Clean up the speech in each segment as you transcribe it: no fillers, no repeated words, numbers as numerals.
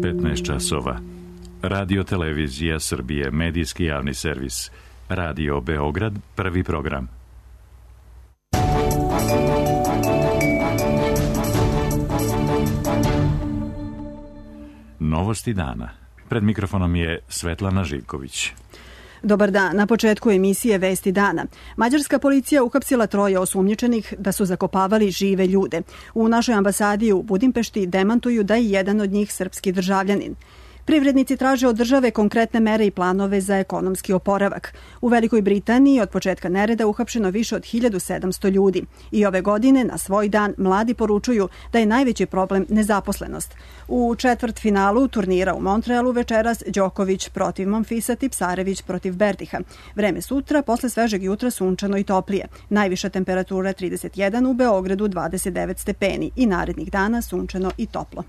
15 časova. Radio Televizija Srbije, medijski javni servis. Radio Beograd, prvi program. Novosti dana. Pred mikrofonom je Svetlana Živković. Dobar dan. Na početku emisije Vesti dana. Mađarska policija uhapsila 3 osumnjičenih da su zakopavali žive ljude. U našoj ambasadi u Budimpešti demantuju da je jedan od njih srpski državljanin. Privrednici traže od države konkretne mere i planove za ekonomski oporavak. U Velikoj Britaniji od početka nereda uhapšeno više od 1700 ljudi. I ove godine na svoj dan mladi poručuju da je najveći problem nezaposlenost. U četvrtfinalu turnira u Montrealu večeras Đoković protiv Monfisa, Tipsarević protiv Berdiha. Vreme sutra, posle svežeg jutra sunčano i toplije. Najviša temperatura 31, u Beogradu 29 stepeni i narednih dana sunčano i toplo.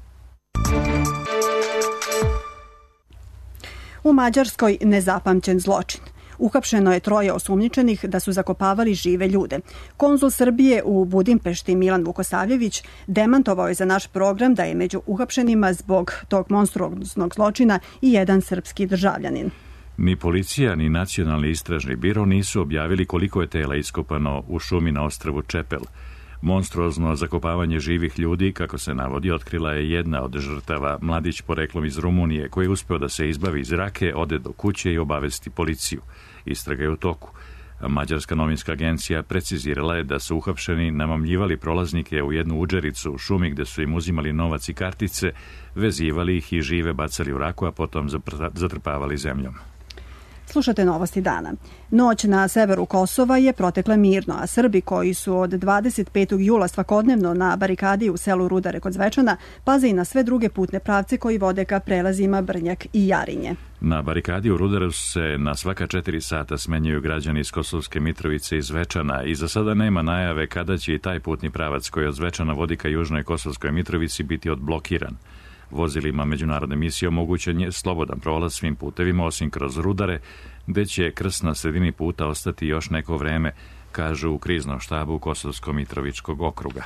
U Mađarskoj nezapamćen zločin. Uhapšeno je 3 osumnjičenih da su zakopavali žive ljude. Konzul Srbije u Budimpešti Milan Vukosavljević demantovao je za naš program da je među uhapšenima zbog tog monstruoznog zločina i jedan srpski državljanin. Ni policija, ni Nacionalni istražni biro nisu objavili koliko je tela iskopano u šumi na ostrvu Čepel. Monstruozno zakopavanje živih ljudi, kako se navodi, otkrila je jedna od žrtava, mladić poreklom iz Rumunije, koji je uspeo da se izbavi iz rake, ode do kuće i obavesti policiju. Istraga je u toku. Mađarska novinska agencija precizirala je da su uhapšeni namamljivali prolaznike u jednu udžericu u šumi gde su im uzimali novac i kartice, vezivali ih i žive bacali u raku, a potom zatrpavali zemljom. Slušate novosti dana. Noć na severu Kosova je protekla mirno, a Srbi koji su od 25. jula svakodnevno na barikadi u selu Rudare kod Zvečana paze i na sve druge putne pravce koji vode ka prelazima Brnjak i Jarinje. Na barikadi u Rudaru se na svaka 4 sata smenjuju građani iz Kosovske Mitrovice i Zvečana i za sada nema najave kada će i taj putni pravac koji od Zvečana vodi ka južnoj Kosovskoj Mitrovici biti odblokiran. Vozilima međunarodne misije omogućen je slobodan prolaz svim putevima osim kroz Rudare, gde će krst na sredini puta ostati još neko vreme, kažu u kriznom štabu Kosovsko-Mitrovičkog okruga.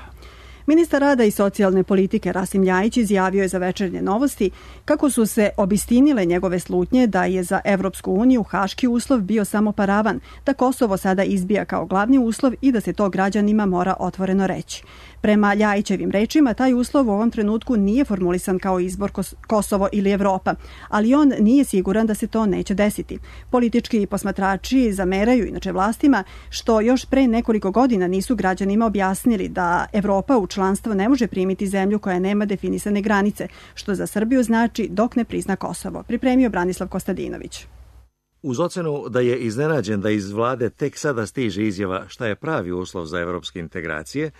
Ministar rada i socijalne politike Rasim Ljajić izjavio je za Večernje novosti kako su se obistinile njegove slutnje da je za Evropsku uniju haški uslov bio samo paravan, da Kosovo sada izbija kao glavni uslov i da se to građanima mora otvoreno reći. Prema Ljajićevim rečima, taj uslov u ovom trenutku nije formulisan kao izbor Kosovo ili Evropa, ali on nije siguran da se to neće desiti. Politički posmatrači zameraju inače vlastima što još pre nekoliko godina nisu građanima objasnili da Evropa u članstvo ne može primiti zemlju koja nema definisane granice, što za Srbiju znači dok ne prizna Kosovo. Pripremio Branislav Kostadinović. Uz ocenu da je iznenađen da iz vlade tek sada stiže izjava šta je pravi uslov za evropske integracije,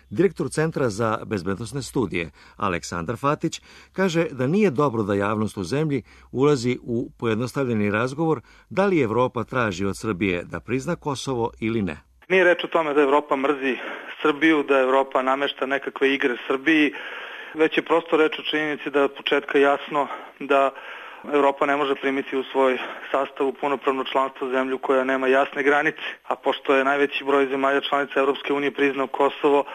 direktor Centra za bezbednosne studije Aleksandar Fatić kaže da nije dobro da javnost u zemlji ulazi u pojednostavljeni razgovor da li Evropa traži od Srbije da prizna Kosovo ili ne. Nije reč o tome da Evropa mrzi Srbiju, da Evropa namešta nekakve igre Srbiji, već je prosto reč o činjenici da je od početka jasno da Evropa ne može primiti u svoj sastav punopravno članstvo zemlju koja nema jasne granice, a pošto je najveći broj zemalja članica Evropske unije priznao Kosovo,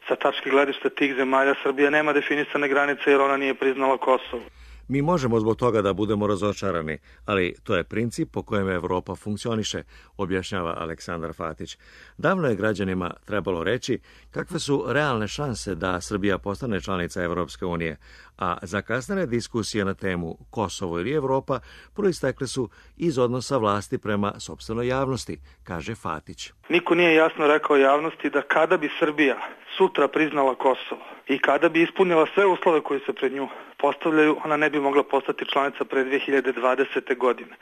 sa tačke gledišta tih zemalja Srbija nema definisane granice jer ona nije priznala Kosovo. Mi možemo zbog toga da budemo razočarani, ali to je princip po kojem Evropa funkcioniše, objašnjava Aleksandar Fatić. Davno je građanima trebalo reći kakve su realne šanse da Srbija postane članica Evropske unije, a zakasnene diskusije na temu Kosovo ili Evropa proistekle su iz odnosa vlasti prema sopstvenoj javnosti, kaže Fatić. Niko nije jasno rekao javnosti da kada bi Srbija sutra priznala Kosovo i kada bi ispunila sve uslove koji se pred nju postavljaju, ona ne bi mogla postati članica pre 2020. godine.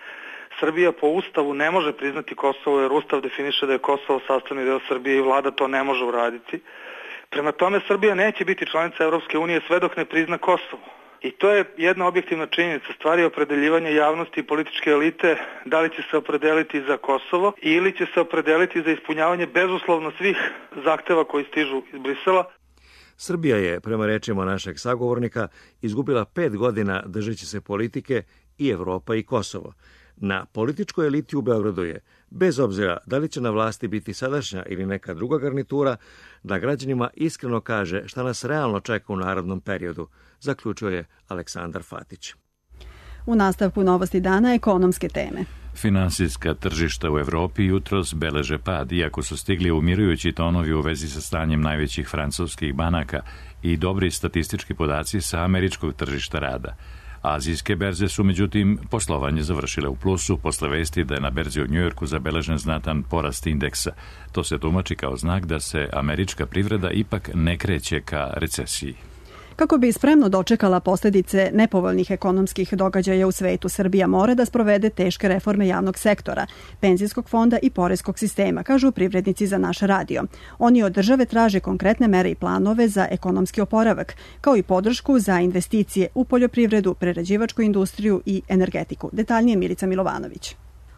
Srbija po Ustavu ne može priznati Kosovo jer Ustav definiše da je Kosovo sastavni deo Srbije i vlada to ne može uraditi. Prema tome, Srbija neće biti članica Evropske unije sve dok ne prizna Kosovo. I to je jedna objektivna činjenica, stvari opredeljivanja javnosti i političke elite, da li će se opredeliti za Kosovo ili će se opredeliti za ispunjavanje bezuslovno svih zahteva koji stižu iz Brisela. Srbija je, prema rečima našeg sagovornika, izgubila 5 godina držeći se politike i Evropa i Kosovo. Na političkoj eliti u Beogradu je, bez obzira da li će na vlasti biti sadašnja ili neka druga garnitura, da građanima iskreno kaže šta nas realno čeka u narednom periodu, zaključio je Aleksandar Fatić. U nastavku Novosti dana ekonomske teme. Finansijska tržišta u Evropi jutros beleže pad, iako su stigli umirujući tonovi u vezi sa stanjem najvećih francuskih banaka i dobri statistički podaci sa američkog tržišta rada. Azijske berze su, međutim, poslovanje završile u plusu posle vesti da je na berzi u Njujorku zabeležen znatan porast indeksa. To se tumači kao znak da se američka privreda ipak ne kreće ka recesiji. Kako bi spremno dočekala posljedice nepovoljnih ekonomskih događaja u svetu, Srbija mora da sprovede teške reforme javnog sektora, penzijskog fonda i poreskog sistema, kažu privrednici za naš radio. Oni od države traže konkretne mere i planove za ekonomski oporavak, kao i podršku za investicije u poljoprivredu, prerađivačku industriju i energetiku. Detaljnije Milica Milovanović.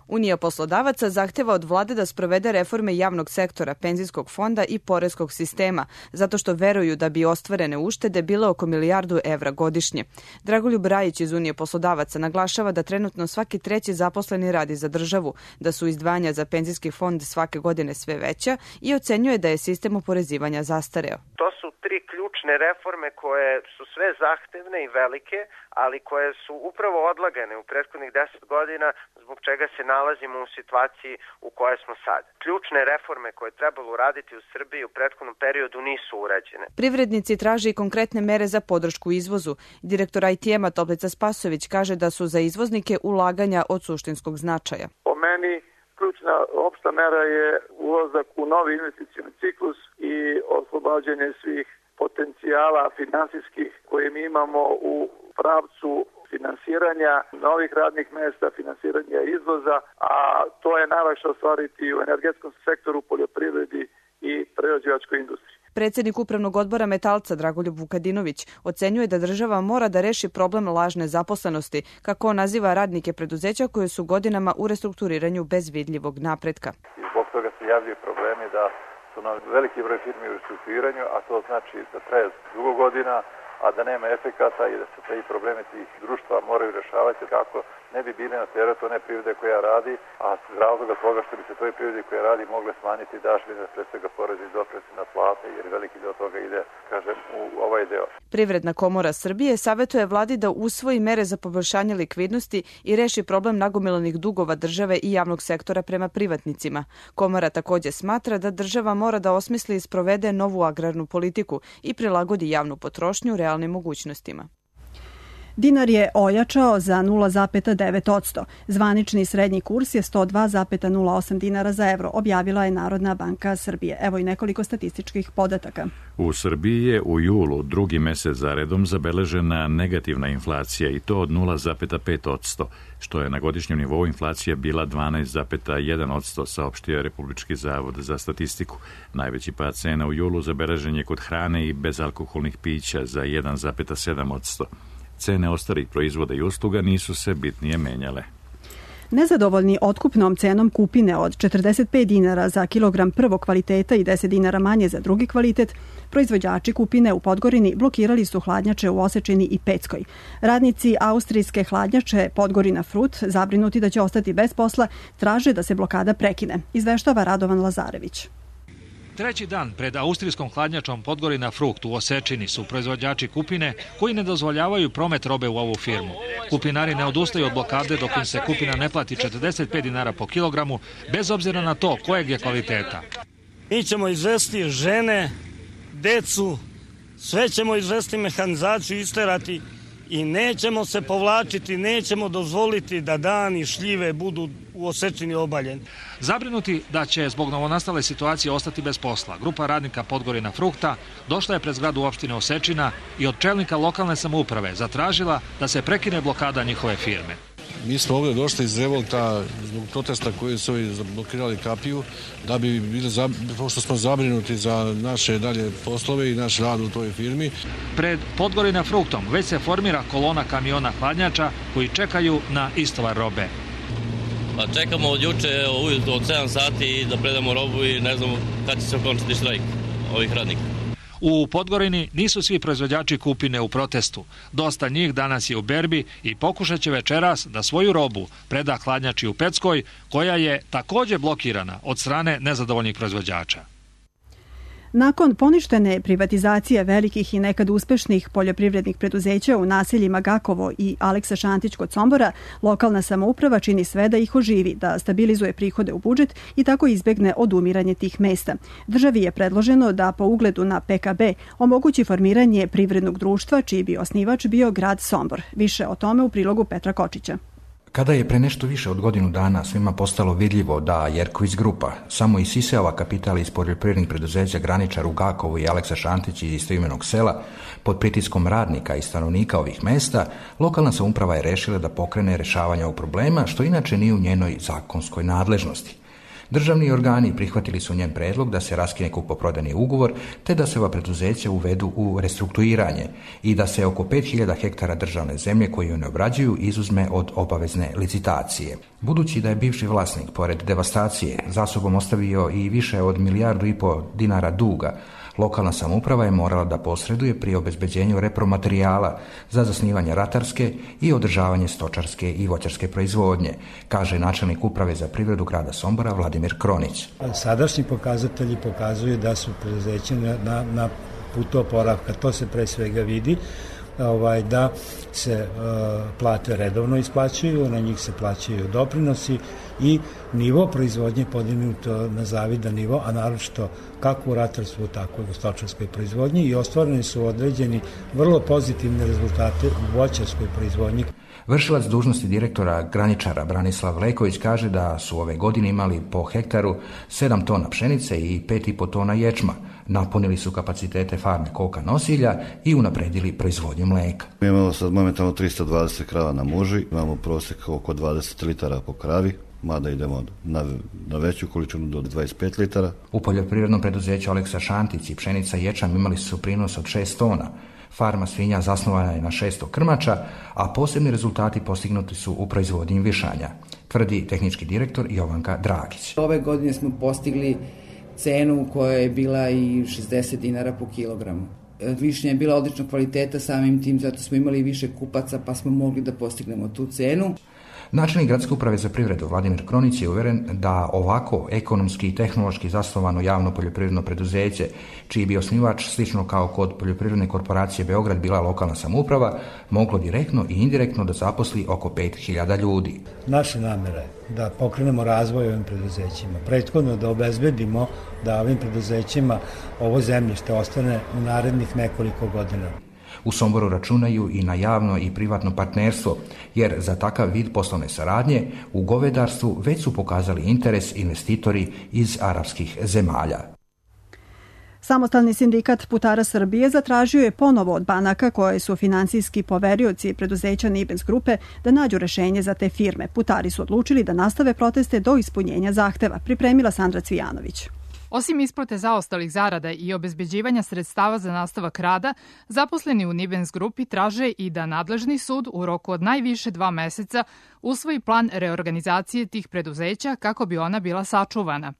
Unija poslodavaca zahteva od vlade da sprovede reforme javnog sektora, penzijskog fonda i poreskog sistema, zato što veruju da bi ostvarene uštede bile oko milijardu evra godišnje. Dragoljub Rajić iz Unije poslodavaca naglašava da trenutno svaki treći zaposleni radi za državu, da su izdvajanja za penzijski fond svake godine sve veća i ocenjuje da je sistem oporezivanja zastareo. To su 3 ključne reforme koje su sve zahtevne i velike, ali koje su upravo odlagane u prethodnih 10 godina, zbog čega se nalazimo u situaciji u kojoj smo sad. Ključne reforme koje je trebalo uraditi u Srbiji u prethodnom periodu nisu urađene. Privrednici traže i konkretne mere za podršku izvozu. Direktor ITM-a Toplica Spasović kaže da su za izvoznike ulaganja od suštinskog značaja. Po meni ključna opšta mera je ulazak u novi investicioni ciklus i oslobađanje svih potencijala finansijskih koje mi imamo u pravcu finansiranja novih radnih mesta, finansiranja izvoza, a to je najlakše ostvariti u energetskom sektoru, poljoprivredi i prerađivačkoj industriji. Predsjednik Upravnog odbora Metalca Dragoljub Vukadinović ocenjuje da država mora da reši problem lažne zaposlenosti, kako on naziva radnike preduzeća koje su godinama u restrukturiranju bez vidljivog napretka. I zbog toga se javljaju problemi da su nam veliki broj firmi u restrukturiranju, a to znači da traje dugo godina, a da nema efekata i da se te probleme tih društva moraju rešavati kako ne bi bili na teret one privrede koja radi, a iz razloga toga što bi se toj privredi koja radi mogle smanjiti dažbine, pre svega porezi i doprinosi na plate, jer veliki deo toga ide, kažem, u ovaj deo. Privredna komora Srbije savetuje vladi da usvoji mere za poboljšanje likvidnosti i reši problem nagomilanih dugova države i javnog sektora prema privatnicima. Komora također smatra da država mora da osmisli i sprovede novu agrarnu politiku i prilagodi javnu potrošnju realnim mogućnostima. Dinar je ojačao za 0,9%. Zvanični srednji kurs je 102,08 dinara za evro, objavila je Narodna banka Srbije. Evo i nekoliko statističkih podataka. U Srbiji je u julu drugi mesec zaredom zabeležena negativna inflacija i to od 0,5%, što je na godišnjem nivou inflacija bila 12,1%, saopštio Republički zavod za statistiku. Najveći pad cena u julu zabeležen je kod hrane i bezalkoholnih pića za 1,7%. Cene ostalih proizvoda i usluga nisu se bitnije menjale. Nezadovoljni otkupnom cenom kupine od 45 dinara za kilogram prvog kvaliteta i 10 dinara manje za drugi kvalitet, proizvođači kupine u Podgorini blokirali su hladnjače u Osečini i Peckoj. Radnici austrijske hladnjače Podgorina Frut, zabrinuti da će ostati bez posla, traže da se blokada prekine, izveštava Radovan Lazarević. Treći dan pred austrijskom hladnjačom Podgorina Frukt u Osečini su proizvođači kupine koji ne dozvoljavaju promet robe u ovu firmu. Kupinari ne odustaju od blokade dok im se kupina ne plati 45 dinara po kilogramu, bez obzira na to kojeg je kvaliteta. Mi ćemo izvesti žene, decu, sve ćemo izvesti mehanizaciju, isterati i nećemo se povlačiti, nećemo dozvoliti da dani šljive budu u Osečini obaljeni. Zabrinuti da će zbog novonastale situacije ostati bez posla, grupa radnika Podgorina Frukta došla je pred zgradu opštine Osečina i od čelnika lokalne samouprave zatražila da se prekine blokada njihove firme. Mi smo ovdje došli iz revolta zbog protesta koji su blokirali kapiju, da bi bili, pošto smo zabrinuti za naše dalje poslove i naš rad u toj firmi. Pred Podgorina Fruktom već se formira kolona kamiona hladnjača koji čekaju na istovar robe. Pa čekamo od juče ujutro od 7 sati da predamo robu i ne znamo kad će se okončiti štrajk ovih radnika. U Podgorini nisu svi proizvođači kupine u protestu. Dosta njih danas je u berbi i pokušat će večeras da svoju robu preda hladnjači u Peckoj, koja je takođe blokirana od strane nezadovoljnih proizvođača. Nakon poništene privatizacije velikih i nekad uspešnih poljoprivrednih preduzeća u naseljima Gakovo i Aleksa Šantić kod Sombora, lokalna samouprava čini sve da ih oživi, da stabilizuje prihode u budžet i tako izbegne odumiranje tih mesta. Državi je predloženo da po ugledu na PKB omogući formiranje privrednog društva čiji bi osnivač bio grad Sombor. Više o tome u prilogu Petra Kočića. Kada je pre nešto više od godinu dana svima postalo vidljivo da Jerković grupa samo isisava kapital iz poljoprivrednih preduzeća Graničar u Gakovu i Aleksa Šantić iz istoimenog sela pod pritiskom radnika i stanovnika ovih mesta, lokalna samouprava je rešila da pokrene rešavanje ovog problema, što inače nije u njenoj zakonskoj nadležnosti. Državni organi prihvatili su njen predlog da se raskine kupoprodajni ugovor te da se ova preduzeća uvedu u restrukturiranje i da se oko 5000 hektara državne zemlje koju ne obrađuju izuzme od obavezne licitacije. Budući da je bivši vlasnik, pored devastacije, za sobom ostavio i više od 1,5 milijardu dinara duga, lokalna samouprava je morala da posreduje pri obezbeđenju repromaterijala za zasnivanje ratarske i održavanje stočarske i voćarske proizvodnje, kaže načelnik uprave za privredu grada Sombora Vladimir Kronić. Sadašnji pokazatelji pokazuju da su preduzeća na putu oporavka. To se pre svega vidi da se plate redovno isplaćuju, na njih se plaćaju doprinosi i nivo proizvodnje podignuto na zavidan nivo, a naročito kako u ratarstvu, tako i u stočarskoj proizvodnji, i ostvareni su određeni vrlo pozitivni rezultate u voćarskoj proizvodnji. Vršilac dužnosti direktora Graničara Branislav Leković kaže da su ove godine imali po hektaru 7 tona pšenice i 5,5 tona ječma. Napunili su kapacitete farme koka nosilja i unapredili proizvodnju mleka. Mi imamo sad momentalno 320 krava na muži, imamo prosjek oko 20 litara po kravi, mada idemo na veću količinu do 25 litara. U poljoprivrednom preduzeću Aleksa Šantić i pšenica i ječam imali su prinos od 6 tona. Farma svinja zasnovana je na 600 krmača, a posebni rezultati postignuti su u proizvodnji višanja, tvrdi tehnički direktor Jovanka Dragić. Ove godine smo postigli cenu koja je bila i 60 dinara po kilogramu. Višnja je bila odličnog kvaliteta, samim tim zato smo imali više kupaca pa smo mogli da postignemo tu cenu. Načelnik Gradske uprave za privredu Vladimir Kronić je uveren da ovako ekonomski i tehnološki zasnovano javno poljoprivredno preduzeće, čiji bi osnivač slično kao kod poljoprivredne korporacije Beograd bila lokalna samouprava, moglo direktno i indirektno da zaposli oko 5000 ljudi. Naša namera je da pokrenemo razvoj ovim preduzećima, prethodno da obezbedimo da ovim preduzećima ovo zemljište ostane u narednih nekoliko godina. U Somboru računaju i na javno i privatno partnerstvo, jer za takav vid poslovne saradnje u govedarstvu već su pokazali interes investitori iz arapskih zemalja. Samostalni sindikat putara Srbije zatražio je ponovo od banaka koje su finansijski poverioci preduzeća Nibens grupe da nađu rešenje za te firme. Putari su odlučili da nastave proteste do ispunjenja zahteva, pripremila Sandra Cvijanović. Osim isplate zaostalih zarada i obezbeđivanja sredstava za nastavak rada, zaposleni u Nibens grupi traže i da nadležni sud u roku od najviše 2 meseca usvoji plan reorganizacije tih preduzeća kako bi ona bila sačuvana.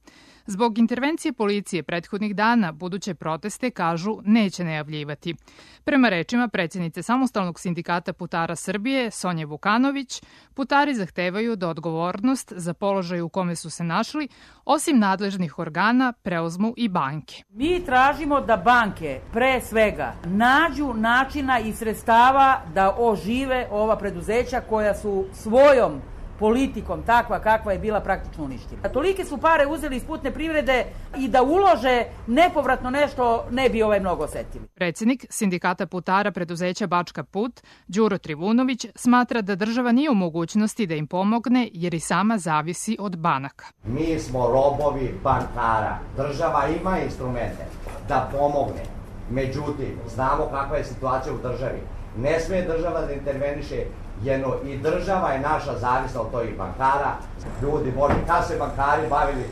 Zbog intervencije policije prethodnih dana buduće proteste, kažu, neće najavljivati. Prema rečima predsjednice Samostalnog sindikata putara Srbije, Sonje Vukanović, putari zahtevaju da odgovornost za položaj u kome su se našli, osim nadležnih organa, preuzmu i banke. Mi tražimo da banke, pre svega, nađu načina i sredstava da ožive ova preduzeća koja su svojom politikom takva kakva je bila praktično uništena. Tolike su pare uzeli iz putne privrede i da ulože nepovratno nešto ne bi mnogo osetili. Predsjednik sindikata putara preduzeća Bačka Put, Đuro Trivunović, smatra da država nije u mogućnosti da im pomogne jer i sama zavisi od banaka. Mi smo robovi bankara. Država ima instrumente da pomogne. Međutim, znamo kakva je situacija u državi. Ne smije država da interveniše jedno i država je naša zavisna od tih bankara. Ljudi, kad se bankari bavili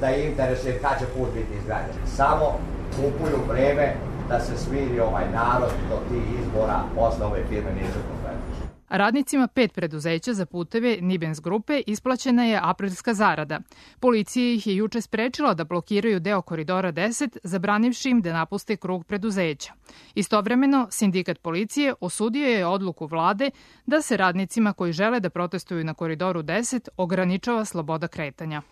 da je interesuje kad će put biti izgrađen. Samo kupuju vreme da se smiri ovaj narod do tih izbora, posle ove firme nisu konkretne. Radnicima 5 preduzeća za puteve Nibens grupe isplaćena je aprilska zarada. Policija ih je juče sprečila da blokiraju deo koridora 10, zabranivši im da napuste krug preduzeća. Istovremeno, sindikat policije osudio je odluku vlade da se radnicima koji žele da protestuju na koridoru 10 ograničava sloboda kretanja.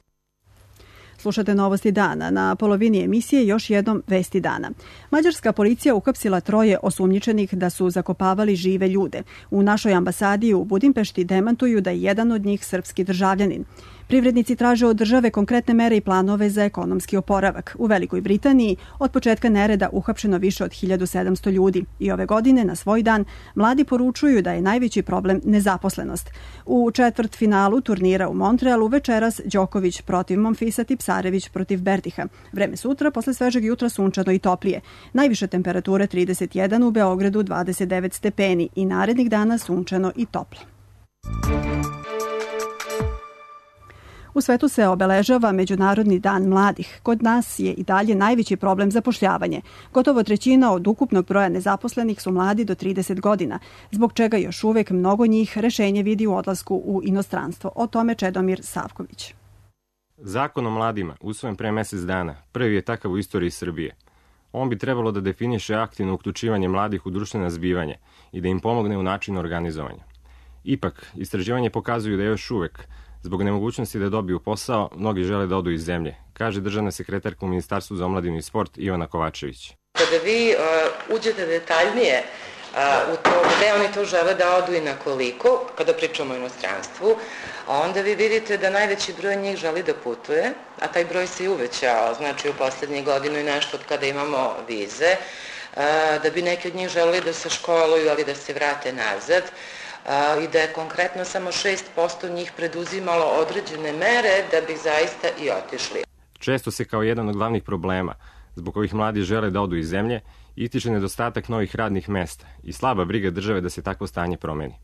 Slušate novosti dana. Na polovini emisije još jednom vesti dana. Mađarska policija uhapsila 3 osumnjičenih da su zakopavali žive ljude. U našoj ambasadi u Budimpešti demantuju da je jedan od njih srpski državljanin. Privrednici traže od države konkretne mere i planove za ekonomski oporavak. U Velikoj Britaniji od početka nereda uhapšeno više od 1700 ljudi i ove godine na svoj dan mladi poručuju da je najveći problem nezaposlenost. U četvrtfinalu turnira u Montrealu večeras Đoković protiv Monfisa, Tipsarević protiv Berdiha. Vreme sutra, posle svežeg jutra sunčano i toplije. Najviše temperature 31, u Beogradu 29 stepeni i narednih dana sunčano i toplo. U svetu se obeležava Međunarodni dan mladih. Kod nas je i dalje najveći problem zapošljavanje. Gotovo 1/3 od ukupnog broja nezaposlenih su mladi do 30 godina, zbog čega još uvek mnogo njih rešenje vidi u odlasku u inostranstvo. O tome Čedomir Savković. Zakon o mladima, usvojen pre mesec dana, prvi je takav u istoriji Srbije. On bi trebalo da definiše aktivno uključivanje mladih u društvena zbivanja i da im pomogne u načinu organizovanja. Ipak, istraživanje pokazuju da još uvek, zbog nemogućnosti da dobiju posao, mnogi žele da odu iz zemlje, kaže državna sekretarka u Ministarstvu za omladinu i sport Ivana Kovačević. Kada vi uđete detaljnije u to gde oni to žele da odu i na koliko, kada pričamo o inostranstvu, onda vi vidite da najveći broj njih želi da putuje, a taj broj se i uvećao, znači u poslednjih godinu i nešto od kada imamo vize, da bi neki od njih želi da se školuju, ali da se vrate nazad, i da je konkretno samo 6% njih preduzimalo određene mere da bi zaista i otišli. Često se kao jedan od glavnih problema, zbog kojih mladi žele da odu iz zemlje, ističe nedostatak novih radnih mesta i slaba briga države da se takvo stanje promeni.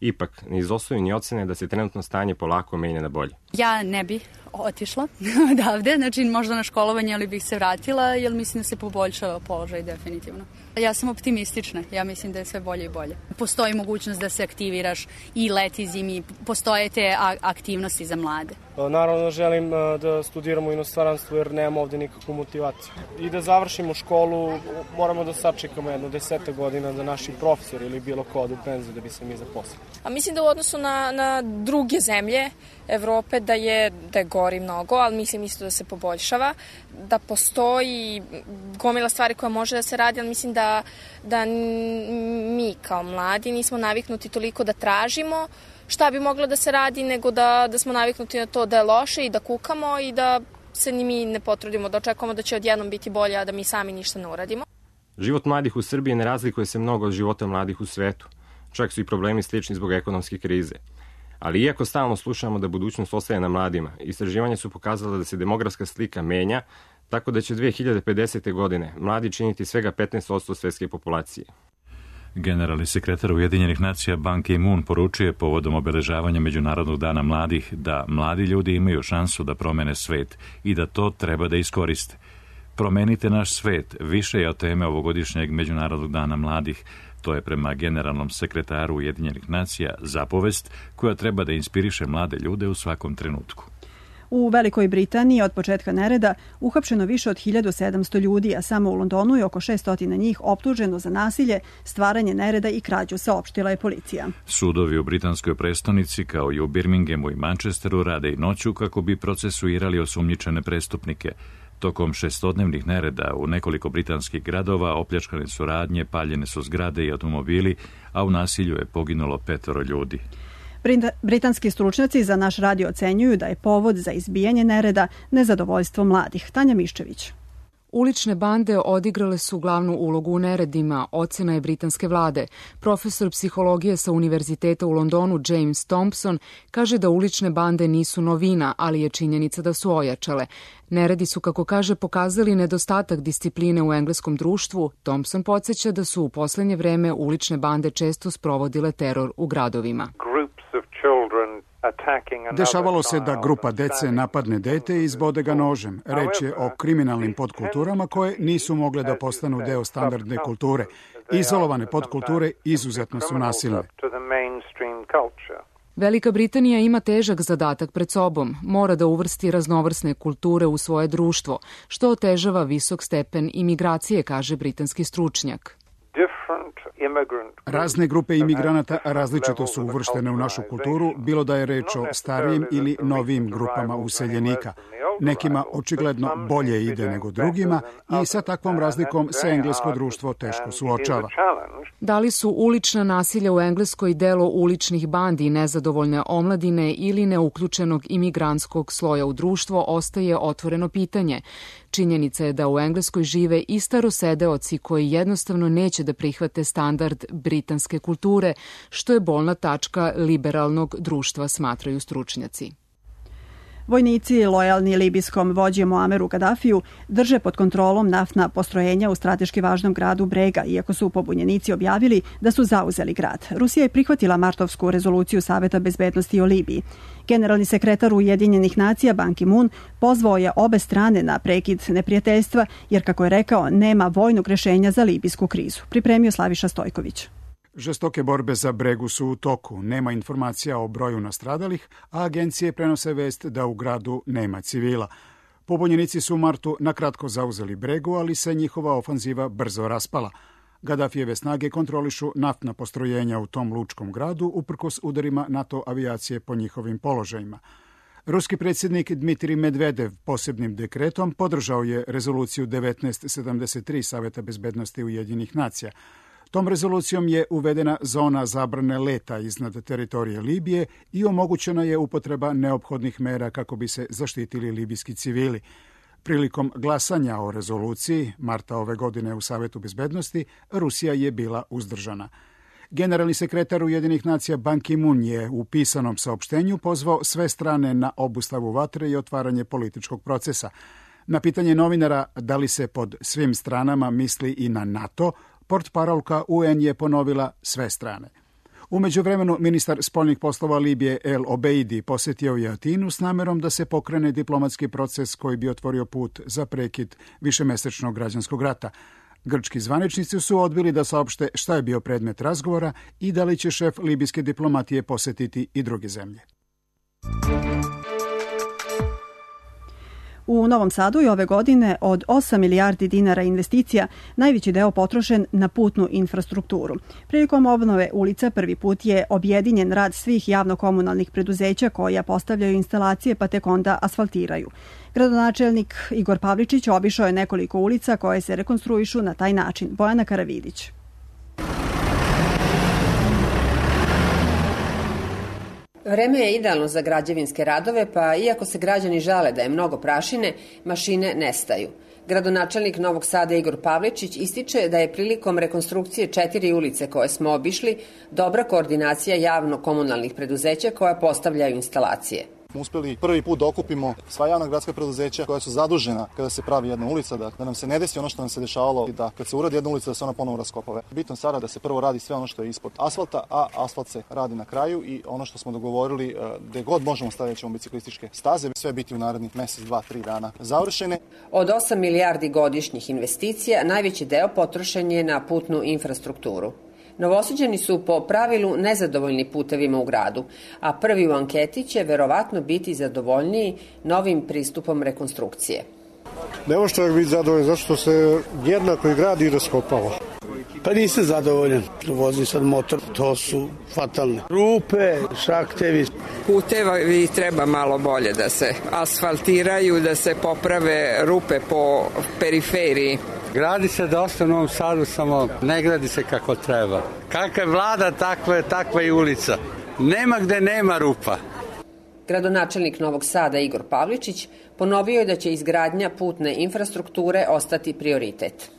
Ipak, ne izostaju ni ocene da se trenutno stanje polako menja na bolje. Ja ne bi otišla odavde, znači možda na školovanje, ali bih se vratila, jer mislim da se poboljšava položaj definitivno. Ja sam optimistična, ja mislim da je sve bolje i bolje. Postoji mogućnost da se aktiviraš i leti, zimi, postoje te aktivnosti za mlade. Naravno želim da studiramo u inostranstvu jer nemamo ovde nikakvu motivaciju. I da završimo školu moramo da sačekamo 10 godina da naši profesori ili bilo ko odu u penziju da bi se mi zaposlili. A mislim da u odnosu na druge zemlje Evrope da je gori mnogo, ali mislim isto da se poboljšava, da postoji gomila stvari koja može da se radi, ali mislim da mi kao mladi nismo naviknuti toliko da tražimo šta bi moglo da se radi, nego da smo naviknuti na to da je loše i da kukamo i da se ni mi ne potrudimo, da očekujemo da će odjednom biti bolje, a da mi sami ništa ne uradimo. Život mladih u Srbiji ne razlikuje se mnogo od života mladih u svetu. Čak su i problemi slični zbog ekonomske krize. Ali iako stalno slušamo da budućnost ostaje na mladima, istraživanja su pokazala da se demografska slika menja, tako da će 2050. godine mladi činiti svega 15% svetske populacije. Generalni sekretar Ujedinjenih nacija Ban Ki-moon poručuje povodom obeležavanja Međunarodnog dana mladih da mladi ljudi imaju šansu da promene svet i da to treba da iskoriste. Promenite naš svet više je od teme ovogodišnjeg Međunarodnog dana mladih. To je prema generalnom sekretaru Ujedinjenih nacija zapovest koja treba da inspiriše mlade ljude u svakom trenutku. U Velikoj Britaniji od početka nereda uhapšeno više od 1700 ljudi, a samo u Londonu je oko 600 njih optuženo za nasilje, stvaranje nereda i krađu, saopštila je policija. Sudovi u britanskoj prestonici, kao i u Birminghamu i Manchesteru, rade i noću kako bi procesuirali osumnjičene prestupnike. Tokom 6-dnevnih nereda u nekoliko britanskih gradova opljačkane su radnje, paljene su zgrade i automobili, a u nasilju je poginulo 5 ljudi. Britanski stručnjaci za naš radio ocenjuju da je povod za izbijanje nereda nezadovoljstvo mladih. Tanja Miščević. Ulične bande odigrale su glavnu ulogu u neredima, ocena je britanske vlade. Profesor psihologije sa Univerziteta u Londonu James Thompson kaže da ulične bande nisu novina, ali je činjenica da su ojačale. Neredi su, kako kaže, pokazali nedostatak discipline u engleskom društvu. Thompson podsjeća da su u poslednje vreme ulične bande često sprovodile teror u gradovima. Dešavalo se da grupa dece napadne dete i izbode ga nožem. Reč je o kriminalnim podkulturama koje nisu mogle da postanu deo standardne kulture. Izolovane podkulture izuzetno su nasilne. Velika Britanija ima težak zadatak pred sobom. Mora da uvrsti raznovrsne kulture u svoje društvo, što otežava visok stepen imigracije, kaže britanski stručnjak. Razne grupe imigranata različito su uvrštene u našu kulturu, bilo da je reč o starijim ili novim grupama useljenika. Nekima očigledno bolje ide nego drugima i sa takvom razlikom se englesko društvo teško suočava. Da li su ulična nasilja u Engleskoj delo uličnih bandi, nezadovoljne omladine ili neuključenog imigrantskog sloja u društvo, ostaje otvoreno pitanje. Činjenica je da u Engleskoj žive i starosedeoci koji jednostavno neće da prihvate standard britanske kulture, što je bolna tačka liberalnog društva, smatraju stručnjaci. Vojnici, lojalni libijskom vođi Muameru Kadafiju, drže pod kontrolom naftna postrojenja u strateški važnom gradu Brega, iako su pobunjenici objavili da su zauzeli grad. Rusija je prihvatila martovsku rezoluciju Saveta bezbednosti o Libiji. Generalni sekretar Ujedinjenih nacija Ban Ki-moon pozvao je obe strane na prekid neprijateljstva, jer, kako je rekao, nema vojnog rešenja za libijsku krizu. Pripremio Slaviša Stojković. Žestoke borbe za Bregu su u toku. Nema informacija o broju nastradalih, a agencije prenose vest da u gradu nema civila. Pobunjenici su u martu nakratko zauzeli Bregu, ali se njihova ofanziva brzo raspala. Gadafijeve snage kontrolišu naftna postrojenja u tom lučkom gradu, uprkos udarima NATO avijacije po njihovim položajima. Ruski predsjednik Dmitrij Medvedev posebnim dekretom podržao je rezoluciju 1973 Saveta bezbednosti Ujedinjenih nacija. Tom rezolucijom je uvedena zona zabrane leta iznad teritorije Libije i omogućena je upotreba neophodnih mera kako bi se zaštitili libijski civili. Prilikom glasanja o rezoluciji, marta ove godine u Savetu bezbednosti, Rusija je bila uzdržana. Generalni sekretar Ujedinjenih nacija Ban Ki-moon je u pisanom saopštenju pozvao sve strane na obustavu vatre i otvaranje političkog procesa. Na pitanje novinara da li se pod svim stranama misli i na NATO, portparolka UN je ponovila sve strane. U međuvremenu ministar spoljnih poslova Libije El Obeidi posjetio je Atinu s namerom da se pokrene diplomatski proces koji bi otvorio put za prekid višemesečnog građanskog rata. Grčki zvaničnici su odbili da saopšte šta je bio predmet razgovora i da li će šef libijske diplomatije posjetiti i druge zemlje. U Novom Sadu je ove godine od 8 milijardi dinara investicija najveći deo potrošen na putnu infrastrukturu. Prilikom obnove ulica prvi put je objedinjen rad svih javno-komunalnih preduzeća koja postavljaju instalacije pa tek onda asfaltiraju. Gradonačelnik Igor Pavličić obišao je nekoliko ulica koje se rekonstruišu na taj način. Bojana Karavidić. Vreme je idealno za građevinske radove, pa iako se građani žale da je mnogo prašine, mašine nestaju. Gradonačelnik Novog Sada Igor Pavličić ističe da je prilikom rekonstrukcije 4 ulice koje smo obišli dobra koordinacija javno-komunalnih preduzeća koja postavljaju instalacije. Uspeli prvi put da okupimo sva javna gradska preduzeća koja su zadužena kada se pravi jedna ulica, da nam se ne desi ono što nam se dešavalo, da kad se uradi jedna ulica da se ona ponovo raskopava. Bitno sada da se prvo radi sve ono što je ispod asfalta, a asfalt se radi na kraju i ono što smo dogovorili, gde god možemo staviti ćemo biciklističke staze, sve biti u narednih mesec, 2, 3 dana završene. Od 8 milijardi godišnjih investicija najveći deo potrošen je na putnu infrastrukturu. Novosađani su po pravilu nezadovoljni putevima u gradu, a prvi u anketi će verovatno biti zadovoljniji novim pristupom rekonstrukcije. Ne može čovjek biti zadovoljan zato što se jednako i gradi i raskopava. Pa nisam zadovoljan. Vozim sad motor, to su fatalne. Rupe, šaktevi. Putevi treba malo bolje da se asfaltiraju, da se poprave rupe po periferiji. Gradi se dosta u Novom Sadu, samo ne gradi se kako treba. Kakva je vlada, takva je ulica. Nema gde nema rupa. Gradonačelnik Novog Sada Igor Pavličić ponovio je da će izgradnja putne infrastrukture ostati prioritet.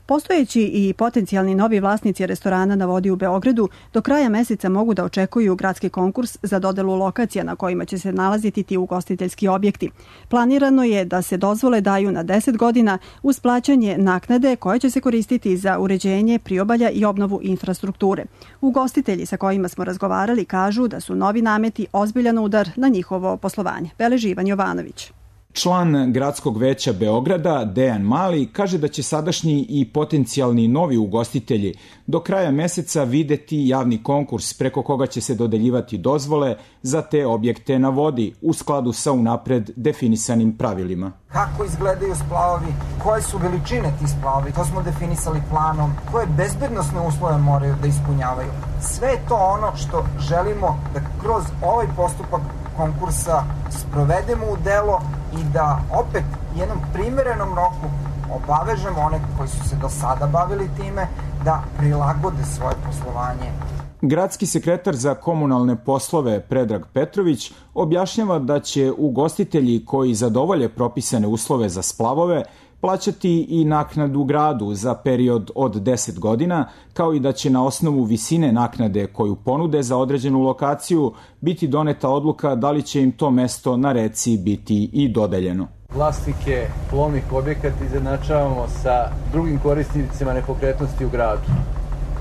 Postojeći i potencijalni novi vlasnici restorana na vodi u Beogradu do kraja meseca mogu da očekuju gradski konkurs za dodelu lokacija na kojima će se nalaziti ti ugostiteljski objekti. Planirano je da se dozvole daju na 10 godina uz plaćanje naknade koje će se koristiti za uređenje priobalja i obnovu infrastrukture. Ugostitelji sa kojima smo razgovarali kažu da su novi nameti ozbiljan udar na njihovo poslovanje. Beleži Ivan Jovanović. Član Gradskog veća Beograda, Dejan Mali, kaže da će sadašnji i potencijalni novi ugostitelji do kraja meseca videti javni konkurs preko koga će se dodeljivati dozvole za te objekte na vodi u skladu sa unapred definisanim pravilima. Kako izgledaju splavovi, koje su veličine ti splavovi, to smo definisali planom, koje bezbednosne uslove moraju da ispunjavaju. Sve je to ono što želimo da kroz ovaj postupak konkursa sprovedemo u delo i da opet jednom primerenom roku obavežemo one koji su se do sada bavili time da prilagode svoje poslovanje. Gradski sekretar za komunalne poslove Predrag Petrović objašnjava da će ugostitelji koji zadovolje propisane uslove za splavove plaćati i naknadu gradu za period od 10 godina, kao i da će na osnovu visine naknade koju ponude za određenu lokaciju biti doneta odluka da li će im to mesto na reci biti i dodeljeno. Vlasnike plovnih objekata izjednačavamo sa drugim korisnicima nepokretnosti u gradu.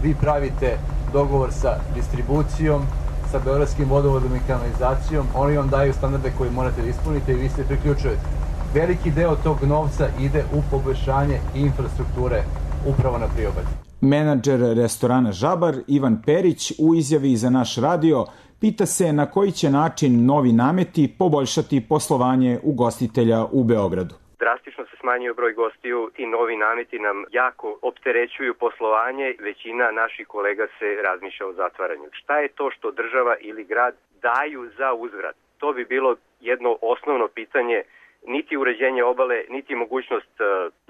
Vi pravite dogovor sa distribucijom, sa Beogradskim vodovodom i kanalizacijom, oni vam daju standarde koje morate da ispunite i vi se priključujete. Veliki deo tog novca ide u poboljšanje infrastrukture upravo na priobalju. Menadžer restorana Žabar Ivan Perić u izjavi za naš radio pita se na koji će način novi nameti poboljšati poslovanje ugostitelja u Beogradu. Drastično se smanjuje broj gostiju i novi nameti nam jako opterećuju poslovanje. Većina naših kolega se razmišlja o zatvaranju. Šta je to što država ili grad daju za uzvrat? To bi bilo jedno osnovno pitanje. Niti uređenje obale, niti mogućnost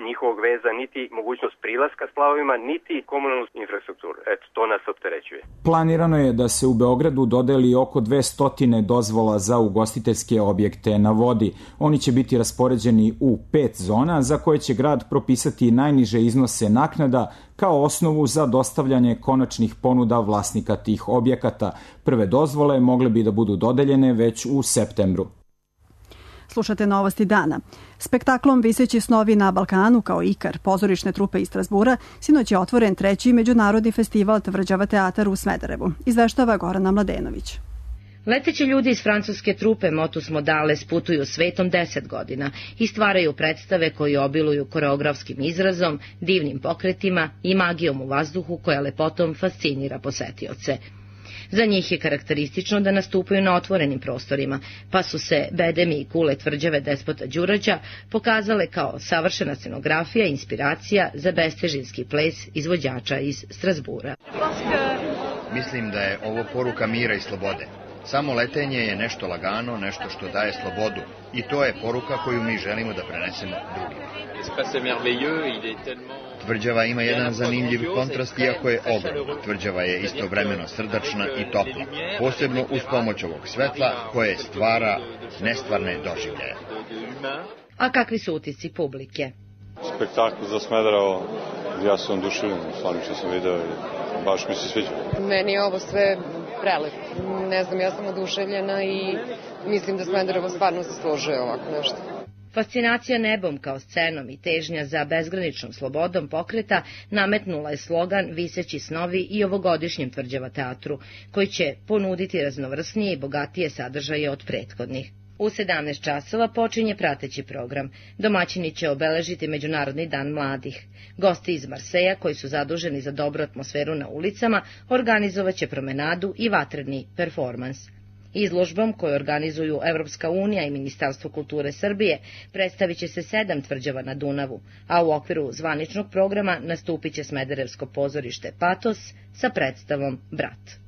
njihovog veza, niti mogućnost prilaska splavovima, niti komunalnu infrastrukturu. Eto, to nas opterećuje. Planirano je da se u Beogradu dodeli oko 200 dozvola za ugostiteljske objekte na vodi. Oni će biti raspoređeni u 5 zona za koje će grad propisati najniže iznose naknada kao osnovu za dostavljanje konačnih ponuda vlasnika tih objekata. Prve dozvole mogle bi da budu dodeljene već u septembru. Slušate Novosti dana. Spektaklom Viseći snovi na Balkanu kao Ikar pozorišne trupe iz Strasbura sinoć je otvoren 3. međunarodni festival Tvrđava teatar u Smederevu. Izveštava Gorana Mladenović. Leteći ljudi iz francuske trupe Motus Modales putuju svetom 10 godina i stvaraju predstave koji obiluju koreografskim izrazom, divnim pokretima i magijom u vazduhu koja lepotom fascinira posetioce. Za njih je karakteristično da nastupaju na otvorenim prostorima, pa su se bedemi i kule tvrđave despota Đurađa pokazale kao savršena scenografija i inspiracija za bestežinski ples izvođača iz Strasbura. Mislim da je ovo poruka mira i slobode. Samo letenje je nešto lagano, nešto što daje slobodu. I to je poruka koju mi želimo da prenesemo drugima. Tvrđava ima jedan zanimljiv kontrast, iako je ogromna. Tvrđava je istovremeno srdačna i topla, posebno uz pomoć ovog svetla koje stvara nestvarne doživljaje. A kakvi su utisci publike? Spektakl za Smederevo, ja sam oduševljen, stvarno što sam video i baš mi se sviđa. Meni je ovo sve prelep. Ne znam, ja sam oduševljena i mislim da Smederevo stvarno zaslužuje ovako nešto. Fascinacija nebom kao scenom i težnja za bezgraničnom slobodom pokreta nametnula je slogan Viseći snovi i ovogodišnjem Tvrđava teatru, koji će ponuditi raznovrsnije i bogatije sadržaje od prethodnih. U 17 časova počinje prateći program. Domaćini će obeležiti Međunarodni dan mladih. Gosti iz Marseja, koji su zaduženi za dobru atmosferu na ulicama, organizovaće promenadu i vatreni performans. Izložbom koju organizuju Evropska unija i Ministarstvo kulture Srbije predstavit će se 7 tvrđava na Dunavu, a u okviru zvaničnog programa nastupit će Smederevsko pozorište Patos sa predstavom Brat.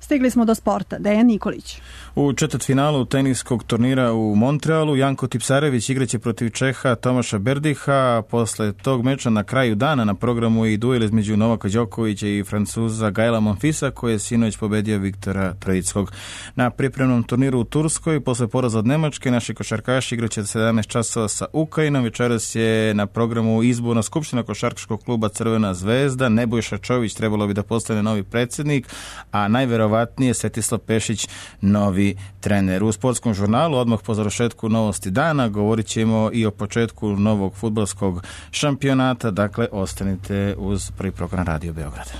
Stigli smo do sporta. Dejan Nikolić. U četvrtfinalu teniskog turnira u Montrealu Janko Tipsarević igraće protiv Čeha Tomaša Berdiha. Posle tog meča na kraju dana na programu je i duel između Novaka Đokovića i Francuza Gaela Monfilsa, koji je sinoć pobedio Viktora Trojickog. Na pripremnom turniru u Turskoj, posle poraza od Nemačke, naši košarkaši igraće 17 časova sa Ukrajinom. Večeras je na programu izborna skupština košarkaškog kluba Crvena zvezda. Nebojša Čović trebalo bi da postane novi predsjednik, a najverovatnije Svetislav Pešić novi trener. U sportskom žurnalu odmah po završetku Novosti dana govorit ćemo i o početku novog fudbalskog šampionata, dakle ostanite uz prvi program Radio Beograda.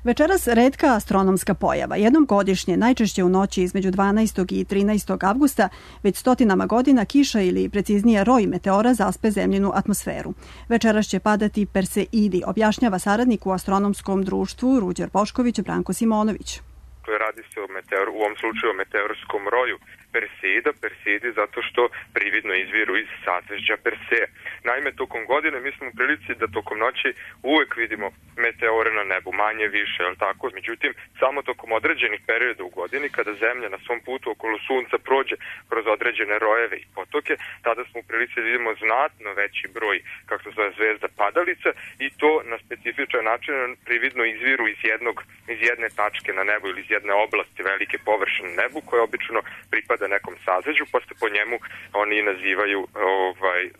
Večeras retka astronomska pojava. Jednom godišnje, najčešće u noći između 12. i 13. avgusta, već stotinama godina kiša ili preciznije roj meteora zaspe zemljinu atmosferu. Večeras će padati Perseidi, objašnjava saradnik u astronomskom društvu Ruđer Bošković Branko Simonović. Radi se u ovom slučaju o meteorskom roju Perseidi zato što prividno izviru iz sazvežđa Perseja. Naime, tokom godine mi smo u prilici da tokom noći uvek vidimo meteore na nebu, manje više, jel tako? Međutim, samo tokom određenih perioda u godini, kada Zemlja na svom putu okolo Sunca prođe kroz određene rojeve i potoke, tada smo u prilici da vidimo znatno veći broj, kako se zove, zvezda padalica i to na specifičan način prividno izviru iz jedne tačke na nebu ili iz jedne oblasti velike površine na nebu koja obično pripada nekom sazveđu, pa se po njemu oni nazivaju,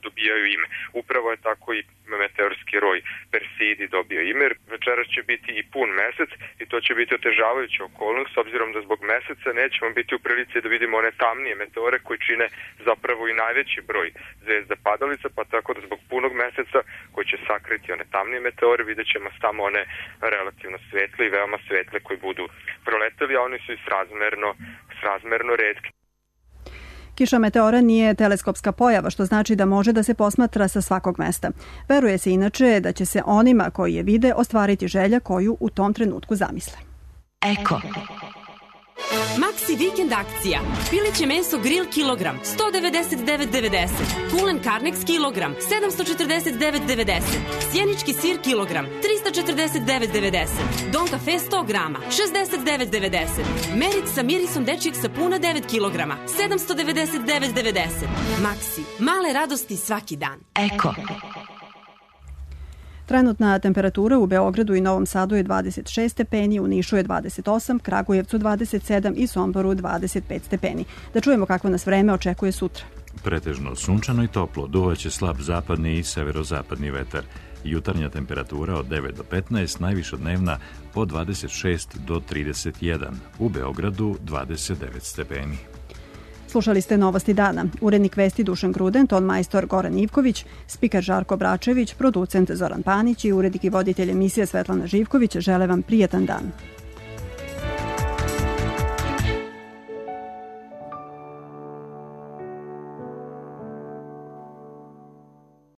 dobijaju ime. Upravo je tako i meteorski roj Perseidi dobio ime. Večeras će biti i pun mesec i to će biti otežavajuća okolnost, s obzirom da zbog meseca nećemo biti u prilici da vidimo one tamnije meteore koji čine zapravo i najveći broj zvezda padalica, pa tako da zbog punog meseca koji će sakriti one tamnije meteore vidjet ćemo samo one relativno svetle i veoma svetle koji budu proleteli, a oni su i srazmerno retki. Kiša meteora nije teleskopska pojava, što znači da može da se posmatra sa svakog mesta. Veruje se inače da će se onima koji je vide ostvariti želja koju u tom trenutku zamisle. Eko. Maxi vikend akcija. Pileće meso grill kilogram 199,90. Kulen Carnex kilogram 749,90. Sjenički sir kilogram 349,90. Don Cafe 100 grama 69,90. Merit sa mirisom dečijeg sapuna 9 kilograma 799,90. Maxi. Male radosti svaki dan. Eko. Trenutna temperatura u Beogradu i Novom Sadu je 26 stepeni, u Nišu je 28, Kragujevcu 27 i Somboru 25 stepeni. Da čujemo kako nas vreme očekuje sutra. Pretežno sunčano i toplo, duvaće slab zapadni i severozapadni vetar. Jutarnja temperatura od 9 do 15, najviša dnevna po 26 do 31. U Beogradu 29 stepeni. Slušali ste Novosti dana. Urednik vesti Dušan Gruden, ton majstor Goran Ivković, spiker Žarko Bračević, producent Zoran Panić i urednik i voditelj emisije Svetlana Živković žele vam prijetan dan.